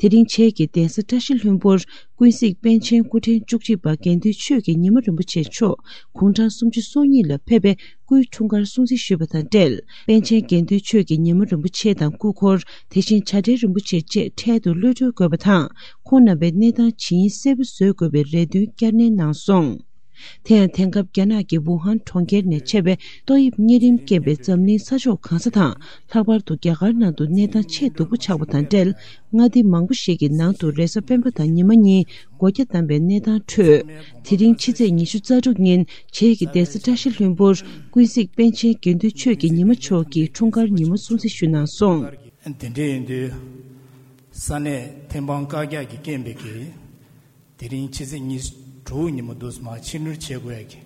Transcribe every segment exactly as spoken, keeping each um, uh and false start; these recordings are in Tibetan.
དེ་རིང་བྱེས་ཀྱི་གདན་ས་བཀྲ་ཤིས་ལྷུན་པོར་ཀུན་གཟིགས་པཎ་ཆེན་སྐུ་ཕྲེང་བཅུ་གཅིག་པ་དགེ་འདུན་ཆོས་ཀྱི་ཉི་མ་རིན་པོ་ཆེ་མཆོག་དགུང་གྲངས་སུམ་ཅུ་སོ་གཉིས་ལ་ཕེབས་པའི་སྐུའི་འཁྲུངས་སྐར་སྲུང་བརྩི་ཞུས་པ་དང་འབྲེལ། པཎ་ཆེན་དགེ་འདུན་ཆོས་ཀྱི་ཉི་མ་རིན་པོ་ཆེ་དང་སྐུ་འཁོར། དེ་བཞིན་བྱ་བྲལ་རིན་པོ་ཆེ་བཅས་འཕྲལ་དུ་གློད་གྲོལ་དགོས་པ་དང་། ཁོང་རྣམ་པའི་གནས་སྟངས་ཇི་ཡིན་གསལ་པོ་བཟོ་དགོས་པའི་རེ་འདུན་བསྐྱར་ནན་གནང་སོང་། དེ་ཡང་དེང་སྐབས་རྒྱ་ནག་གི་ཝུ་ཧན་གྲོང་ཁྱེར་ནས་མཆེད་པའི་ཏོག་དབྱིབས་གཉན་རིམས་རྐྱེན་པས་འཛམ་གླིང་ས་ཕྱོགས་གང་ས་དང་། ལྷག་པར་དུ་རྒྱ་གར་ནང་དུ་གནས་སྟངས་ཆེས་སྡུག་པོ་ཆགས་པ་དང་འབྲེལ། མངའ་སྡེ་མང་པོ་ཞིག་གི་ནང་དུ་རེས་གཟའ་སྤེན་པ་དང་ཉི་མ་གཉིས་སྒོ་རྒྱ་བསྡམས་པའི་གནས་སྟངས་ཁྲོད། དེ་རིང་ཕྱི་ཚེས་ཉི་ཤུ་རྩ་དྲུག་ཉིན་བྱེས་ཀྱི་གདན་ས་བཀྲ་ཤིས་ལྷུན་པོར་ཀུན་གཟིགས་པཎ་ཆེན་དགེ་འདུན་ཆོས་ཀྱི་ཉི་མ་མཆོག་གི་འཁྲུངས་སྐར་ཉིན་མོ་སྲུང་བརྩི་ཞུས་གནང་སོང་། དེ་འདྲ་ཡིན་དུས། ས་གནས་ཐེམ་སྤང་བཀག་རྒྱ་གི་རྐྱེན་པས་ཀྱིས། དེ་རིང་ཕྱི་ཚེས་ཉི་ཤུ་དྲུག་ཉིན་མོ་འདུག་སེ་མར་ཕྱིར་འབུད་བྱེད་དགོས་ཡ་གི་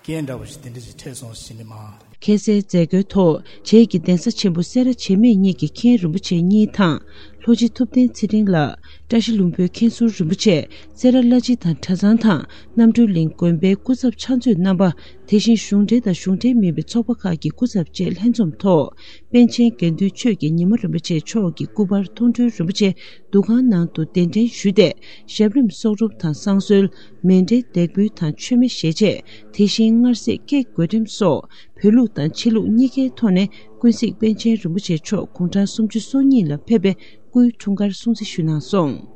རྐྱེན་འདྲ་བོ་ཞིག་དེ་འདྲ་ཞིག་འཕྲད་སོང་ཟེར་ནས་མར། ཁ་སའི་མཛད་སྒོའི་ཐོག་བྱེས་ཀྱི་གདན་ས་ཆེན་པོ་སེ་ར་བྱེས་སྨད་གཉིས་ཀྱི་མཁན་རིན་པོ་ཆེ་གཉིས་དང་། ལྷོ་སྤྱི་ཐུབ་བསྟན་ཚེ་རིང་ལགས། བཀྲ་ཤིས་ལྷུན་པོའི་མཁན་ཟུར་རིན་པོ་ཆེ། སེ་ར་བླ་སྤྱི་དང་གྲྭ་ཚང་དང་རྣམ་གྲོལ་གླིང་དགོན་པའི་སྐུ་ཚབ་ཕྱག་མཛོད་རྣམ་པ། དེ་བཞིན་གཞུང་འབྲེལ་དང་གཞུང་འབྲེལ་མིན་པའི་ཚོགས་པ་ཁག་གི་སྐུ་ཚབ་བཅས་ལྷན་འཛོམས་ཐོག་པཎ་ཆེན་དགེ་འདུན་ཆོས་ཀྱི་ཉི་མ་རིན་པོ་ཆེ་མཆོག་གི་སྐུ་པར་མཐོང་གྲོལ་རིན་པོ་ཆེ་འདུ་ཁང་ནང་དུ་གདན་འདྲེན་ཞུས་ཏེ། ཞབས་རིམ་གསོག་སྒྲུབ་དང་བསང་གསོལ། མཎྜལ་འདེགས་འབུལ་དང་མཆོད་མེ་ཞལ་ཆད། དེ་བཞིན་མངར་ཟས་ཀེག་བགོ་འགྲེམས་སོགས་བོད་ལུགས་དང་ཕྱི་ལུགས་གཉིས་ཀའི་ཐོག་ནས་ཀུན་གཟིགས་པཎ་ཆེན་རིན་པོ་ཆེ་མཆོག་དགུང་གྲངས་སུམ་ཅུ་སོ་གཉིས་ལ་ཕེབས་པའི་སྐུའི་འཁྲུངས་སྐར་སྲུང་བརྩི་ཞུས་གནང་སོང་།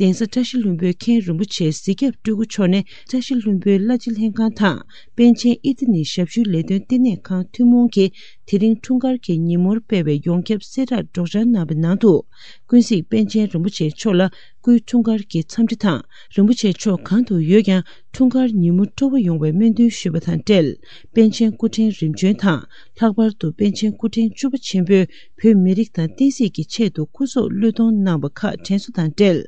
གདན་ས་བཀྲ་ཤིས་ལྷུན་པོའི་མཁན་རིན་པོ་ཆེ་གཟིགས་སྐྱབས་སྤྲུལ་སྐུ་མཆོག་ནས་བཀྲ་ཤིས་ལྷུན་པོའི་བླ་སྤྱི་ལྷན་ཁང་དང་པཎ་ཆེན་ཨི་ཏི་ནི་ཞབས་ཞུའི་ལས་དོན་བསྟི་གནས་ཁང་ཐུན་མོང་གིས་དེ་རིང་འཁྲུངས་སྐར་གྱི་ཉིན་མོར་སྤེལ་བའི་ཡོངས་ཁྱབ་གསལ་བསྒྲགས་སྒྲོག་སྦྱང་གནང་བའི་ནང་དུ། ཀུན་གཟིགས་པཎ་ཆེན་རིན་པོ་ཆེ་མཆོག་ལ་སྐུའི་འཁྲུངས་སྐར་གྱི་འཚམས་འདྲི་དང་། རིན་པོ་ཆེ་མཆོག་གང་དུ་ཡོད་ཀྱང་འཁྲུངས་སྐར་ཉིན་མོ་སྤྲོ་བོ་ཡོང་བའི་སྨོན་འདུན་ཞུས་པ་དང་འབྲེལ། པཎ་ཆེན་སྐུ་ཕྲེང་རིམ་བྱོན་དང་། ལྷག་པར་དུ་པཎ་ཆེན་སྐུ་ཕྲེང་བཅུ་པ་ཆེན་པོས་བོད་མི་རིགས་དང་བསྟན་སྲིད་ཀྱི་ཆེད་དུ་སྐུ་སྲོག་བློས་གཏོང་གནང་བ་ཁག་དྲན་གསོ་དང་འབྲེལ།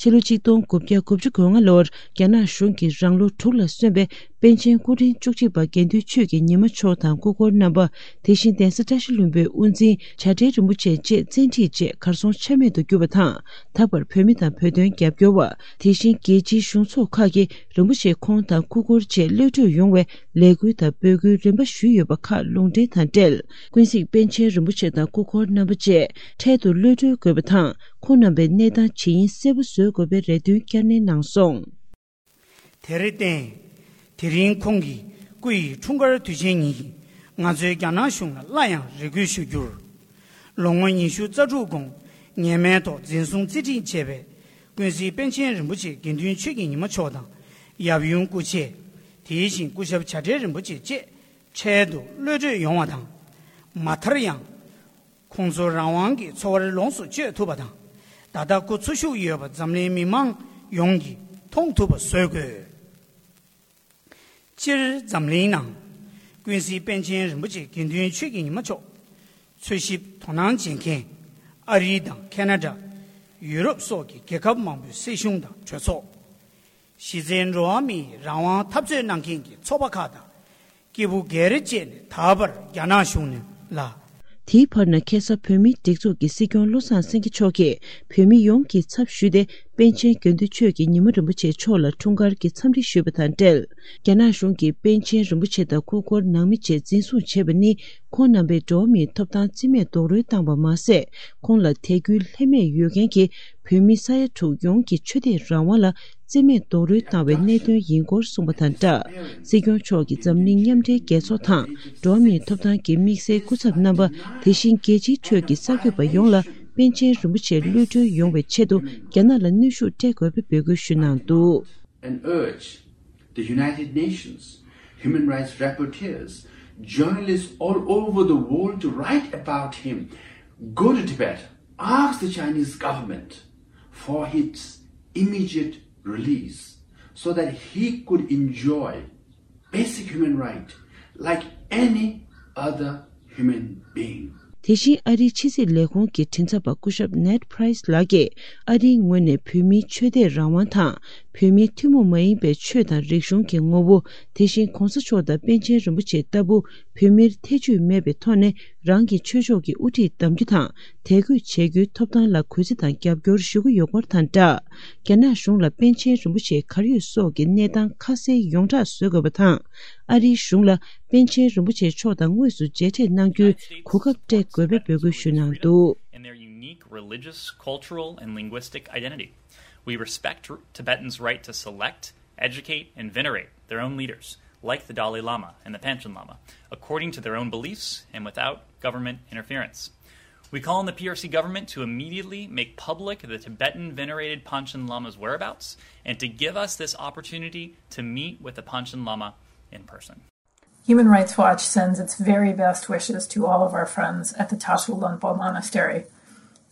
ཕྱི་ལོ་ཆིག་སྟོང་དགུ་བརྒྱ་དགུ་བཅུ་གོ་ལྔ་ལོར་རྒྱ་ནག་གཞུང་གིས་རང་ལོ་དྲུག་ལ་སོན་པའི་པཎ་ཆེན་སྐུ་ཕྲེང་བཅུ་གཅིག་པ་དགེ་འདུན་ཆོས་ཀྱི་ཉི་མ་མཆོག་དང་སྐུ་འཁོར་རྣམ་པ། དེ་བཞིན་གདན་ས་བཀྲ་ཤིས་ལྷུན་པོའི་དབུ་འཛིན་བྱ་བྲལ་རིན་པོ་ཆེ་བཅས་བཙན་ཁྲིད་རྗེས་གར་སོང་ཆ་མེད་དུ་གྱུར་བ་དང་། ད་བར་བོད་མི་དང་བོད་དོན་རྒྱབ་སྐྱོར་བ། དེ་བཞིན་རྒྱལ་སྤྱིའི་གཞུང་ཚོགས་ཁག་གིས་རིན་པོ་ཆེ་ཁོང་དང་སྐུ་འཁོར་བཅས་གློད་གྲོལ་ཡོང་བའི་ལས་འགུལ་དང་འབོད་སྐུལ་རིམ་པ་ཞུས་ཡོད་པ་ཁག་ལུང་འདྲེན་དང་འབྲེལ། ཀུན་གཟིགས་པཎ་ཆེན་རིན་པོ་ཆེ་དང་སྐུ་འཁོར་རྣམ་པ་བཅས་འཕྲལ་དུ་གློད་གྲོལ་དགོས་པ་དང་། ཁོང་རྣམ་པའི་གནས་སྟངས་ཇི་ཡིན་གསལ་པོ་བཟོ་དགོས་པའི་རེ་འདུན་བསྐྱར་ནན་གནང་སོང་། དེར་བརྟེན། དེ་རིང་ཁོང་གི་སྐུ་ཡི་འཁྲུངས་སྐར་དུས་ཆེན་ཉིན། ང་ཚོས་རྒྱ་ནག་གཞུང་ལ་སླར་ཡང་རེ་སྐུལ་ཞུ་རྒྱུར། ལོ་ངོ་ཉི་ཤུ་རྩ་དྲུག་གོང་ངེས་མེད་ཐོག་འཛིན་བཟུང་རྩིས་ཁྲིད་བྱས་པའི་ཀུན་གཟིགས་པཎ་ཆེན་རིན་པོ་ཆེ་དགེ་འདུན་ཆོས་ཀྱི་ཉི་མ་མཆོག་དང་། ཡབ་ཡུམ་སྐུ་མཆེད། དེ་བཞིན་སྐུ་ཞབས་བྱ་བྲལ་རིན་པོ་ཆེ་བཅས་འཕྲལ་དུ་གློད་གྲོལ་ཡོང་བ་དང་། མ་མཐར་ཡང་། ཁོང་ཚོ་རང་དབང་གི་འཚོ་བར་ལོངས་སུ་སྤྱོད་ཐུབ་པ་དང་། ད་ལྟ་སྐུ་འཚོ་བཞུགས་ཡོད་པ་འཛམ་གླིང་མི་མང་ཡོངས་ཀྱིས་མཐོང་ཐུབ་པ་བཟོ་དགོས། སྤྱིར་འཛམ་གླིང་ནང་ཀུན་གཟིགས་པཎ་ཆེན་རིན་པོ་ཆེ་དགེ་འདུན་ཆོས་ཀྱི་ཉི་མ་མཆོག་འཚོལ་ཞིབ་དོ་སྣང་བྱེད་མཁན་ཨ་རི་དང་ཁེ་ན་ཌ། ཡུ་རོབ་སོགས་ཀྱི་རྒྱལ་ཁབ་མང་པོའི་སྲིད་གཞུང་དང་གྲོས་ཚོགས། གཞི་རྩའི་འགྲོ་བ་མིའི་རང་དབང་འཐབ་རྩོད་གནང་མཁན་གྱི་ཚོགས་པ་ཁག་དང་། སྐྱེས་བུ་སྒེར་བཅས་ནས་ད་བར་རྒྱ་ནག་གཞུང་ནས་ལ། དེའི་བར་ན་ཁ་ས་བོད་མིའི་སྒྲིག་འཛུགས་ཀྱི་སྲིད་སྐྱོང་བློ་བཟང་སེང་གེ་མཆོག་གིས་བོད་མི་ཡོངས་ཀྱི་ཚབ་ཞུས་ཏེ་པཎ་ཆེན་དགེ་འདུན་ཆོས་ཀྱི་ཉི་མ་རིན་པོ་ཆེ་མཆོག་ལ་འཁྲུངས་སྐར་གྱི་འཚམས་འདྲི་ཞུས་པ་དང་འབྲེལ། རྒྱ་ནག་གཞུང་གིས་པཎ་ཆེན་རིན་པོ་ཆེ་དང་སྐུ་འཁོར་ནང་མི་བཅས་འཛིན་བཟུང་བྱས་པ་ནི་ཁོང་རྣམ་པས་འགྲོ་བ་མིའི་ཐོབ་ཐང་རྩིས་མེད་རྡོག་རོལ་བཏང་བ་མ་ཟད། ཁོང་ལ་དད་གུས་ལྷད་མེད་ཡོད་མཁན་གྱི་བོད་མི་ས་ཡ་དྲུག་ཡོངས་ཀྱི་ཆོས་དད་རང་དབང་ལ་རྩིས་མེད་རྡོག་རོལ་བཏང་བའི་གནད་དོན་ཡིན་སྐོར་གསུངས་པ་དང་སྦྲགས། སྲིད་སྐྱོང་མཆོག་གིས་འཛམ་གླིང་མཉམ་འབྲེལ་རྒྱལ་ཚོགས་དང་འགྲོ་བ་མིའི་ཐོབ་ཐང་གི་དམིགས་བསལ་སྐུ་ཚབ་རྣམ་པ། དེ་བཞིན་རྒྱལ་སྤྱིའི་ཁྲོད་ཀྱི་གསར་འགོད་པ་ཡོངས་ལ་པཎ་ཆེན་རིན་པོ་ཆེ་གློད་གྲོལ་ཡོང་བའི་ཆེད་དུ་རྒྱ་ནག་ལ་གནོན་ཤུགས་སྤྲད་དགོས་པའི་འབོད་སྐུལ་ཞུས་གནང་འདུག། And urge the United Nations human rights rapporteurs, journalists all over the world to write about him. Go to Tibet, ask the Chinese government for his immediate release so that he could enjoy basic human right like any other human being. དེ་བཞིན་ཨ་རིའི་ཕྱི་སྲིད་ལས་ཁུངས་ཀྱི་མགྲིན་ཚབ་པ་སྐུ་ཞབས་Ned Price་ལགས་ཀྱིས་ཨ་རིའི་ངོས་ནས་བོད་མིའི་ཆོས་དད་རང་དབང་དང་ བོད་མིའི་ཐུན་མོང་མ་ཡིན་པའི་ཆོས་དང་རིག་གཞུང་གི་ངོ་བོ། དེ་བཞིན་གོང་ས་མཆོག་དང་པཎ་ཆེན་རིན་པོ་ཆེ་ལྟ་བུ་བོད་མིར་ཐེ་བྱུས་མེད་པའི་ཐོག་ནས་རང་གི་ཆོས་ཕྱོགས་ཀྱི་དབུ་ཁྲིད་གདམ་རྒྱུ་དང་དད་གུས་བྱེད་རྒྱུའི་ཐོབ་ཐང་ལ་གུས་བརྩི་དང་རྒྱབ་སྐྱོར་ཞུ་གི་ཡོད་སྐོར་དང་སྦྲགས། རྒྱ་ནག་གཞུང་ལ་པཎ་ཆེན་རིན་པོ་ཆེ་གར་ཡོད་སོགས་ཀྱི་གནས་སྟངས་ཁ་གསལ་ཡོངས་གྲགས་བཟོ་དགོས་པ་དང་། ཨ་རིའི་གཞུང་ལ་པཎ་ཆེན་རིན་པོ་ཆེ་མཆོག་དང་དངོས་སུ་མཇལ་འཕྲད་གནང་རྒྱུའི་གོ་སྐབས་སྤྲད་དགོས་པའི་འབོད་སྐུལ་ཞུས་གནང་འདུག། In their unique religious, cultural, and linguistic identity. We respect Tibetans' right to select, educate, and venerate their own leaders, like the Dalai Lama and the Panchen Lama, according to their own beliefs and without government interference. We call on the P R C government to immediately make public the Tibetan venerated Panchen Lama's whereabouts and to give us this opportunity to meet with the Panchen Lama in person. Human Rights Watch sends its very best wishes to all of our friends at the Tashi Lhunpo Monastery.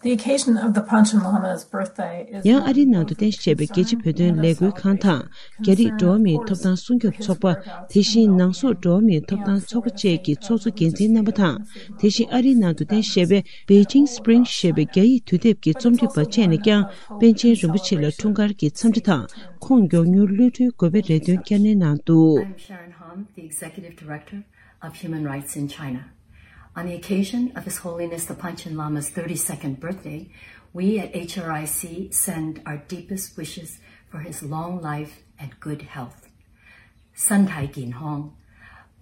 The occasion of the Panchen Lama's birthday is ཡང་ཨ་རིའི་ནང་དུ་རྟེན་གཞི་བྱས་པའི་རྒྱལ་སྤྱིའི་བོད་དོན་ལས་འགུལ་ཁང་དང་། རྒྱ་རིགས་འགྲོ་བ་མིའི་ཐོབ་ཐང་སྲུང་སྐྱོབ་ཚོགས་པ། དེ་བཞིན་ནང་སོག་འགྲོ་བ་མིའི་ཐོབ་ཐང་ཚོགས་པ་བཅས་ཀྱི་ཚོགས་གཙོ་འགན་འཛིན་རྣམ་པ་དང་། དེ་བཞིན་ཨ་རིའི་ནང་དུ་རྟེན་གཞི་བྱས་པའི་Beijing Spring ཞེས་པའི་རྒྱ་ཡིག་དུས་དེབ་ཀྱི་རྩོམ་སྒྲིག་པ་བཅས་ནས་ཀྱང་པཎ་ཆེན་རིན་པོ་ཆེ་ལ་འཁྲུངས་སྐར་གྱི་འཚམས་འདྲི་དང་། ཁོང་མགྱོགས་མྱུར་གློད་གྲོལ་དགོས་པའི་རེ་འདུན་བསྐྱར་ནན་གནང་འདུག། I'm Sharon Hom, the executive director of Human Rights in China. On the occasion of His Holiness the Panchen Lama's thirty-second birthday, we at H R I C send our deepest wishes for his long life and good health. San Thai Gin Hong,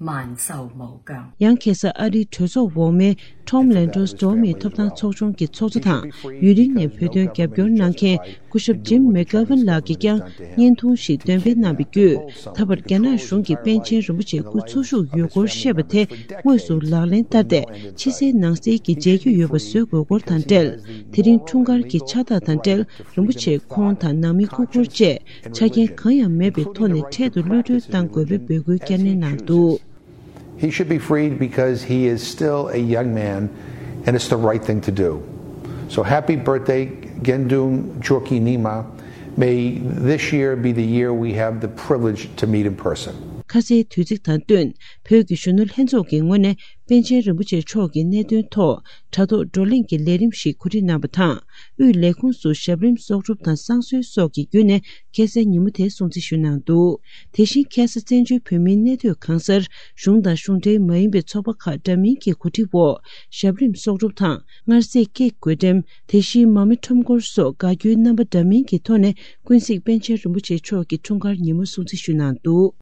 Man Sao Mo Gang. ཡང་ཁ་སང་ཨ་རིའི་གྲོས་ཚོགས་འོག་མའི་Tom Lantos འགྲོ་བ་མིའི་ཐོབ་ཐང་ཚོགས་ཆུང་གི་ཚོགས་གཙོ་དང་། ཡུན་རིང་ནས་བོད་དོན་རྒྱབ་སྐྱོར་གནང་མཁན་སྐུ་ཞབས་Jim McGovern ལགས་ཀྱིས་ཀྱང་བརྙན་ཐུང་ཞིག་འདོན་སྤེལ་གནང་བའི་བརྒྱུད། ད་བར་རྒྱ་ནག་གཞུང་གིས་པཎ་ཆེན་རིན་པོ་ཆེ་སྐུ་འཚོ་བཞུགས་ཡོད་སྐོར་བཤད་པ་དེ་དངོས་སུ་ལག་ལེན་བསྟར་ཏེ། ཕྱི་གསལ་ནང་གསལ་གྱི་མཇལ་རྒྱུ་ཡོད་པ་བཟོ་དགོས་སྐོར་དང་འབྲེལ། དེ་རིང་འཁྲུངས་སྐར་གྱི་ཕྱག་རྟགས་དང་འབྲེལ། རིན་པོ་ཆེ་ཁོང་དང་ནང་མི་སྐུ་འཁོར་བཅས་ཆ་རྐྱེན་གང་ཡང་མེད་པའི་ཐོག་ནས་འཕྲལ་དུ་གློད་གྲོལ་གཏང་དགོས་པའི་འབོད་སྐུལ་བསྐྱར་ནན་གནང་འདུག། He should be freed because he is still a young man and it's the right thing to do. So happy birthday, Gendung Chokyi Nima. May this year be the year we have the privilege to meet in person. ཁ་སའི་དུས་ཚིགས་དང་བསྟུན། བོད་ཀྱི་གཞོན་ནུ་ལྷན་ཚོགས་ཀྱི་ངོས་ནས་པཎ་ཆེན་རིན་པོ་ཆེ་མཆོག་གི་གནད་དོན་ཐོག་དྲ་ཐོག་བགྲོ་གླེང་གི་ལས་རིམ་ཞིག་གོ་སྒྲིག་གནང་བ་དང་། དབུས་ལས་ཁུངས་སུ་ཞབས་རིམ་གསོག་སྒྲུབ་དང་བསང་གསོལ་སོགས་ཀྱི་བརྒྱུད་ནས་ཁ་སང་ཉིན་མོ་དེ་སྲུང་བརྩི་ཞུས་གནང་འདུག། དེ་བཞིན་ཁ་ས་བཙན་བྱོལ་བོད་མིའི་གནས་སྡོད་གང་སར་གཞུང་དང་གཞུང་འབྲེལ་མ་ཡིན་པའི་ཚོགས་པ་ཁག་འདྲ་མིན་གྱི་གོ་སྒྲིག་འོག་ཞབས་རིམ་གསོག་སྒྲུབ་དང་། མངར་ཟས་ཀེག་བགོས་འགྲེམས། དེ་བཞིན་མར་མེ་ཁྲོམ་སྐོར་སོགས་དགའ་སྐྱོའི་རྣམ་པ་འདྲ་མིན་གྱི་ཐོག་ནས་ཀུན་གཟིགས་པཎ་ཆེན་རིན་པོ་ཆེ་མཆོག་གི་འཁྲུངས་སྐར་ཉིན་མོ་སྲུང་བརྩི་ཞུས་གནང་འདུག།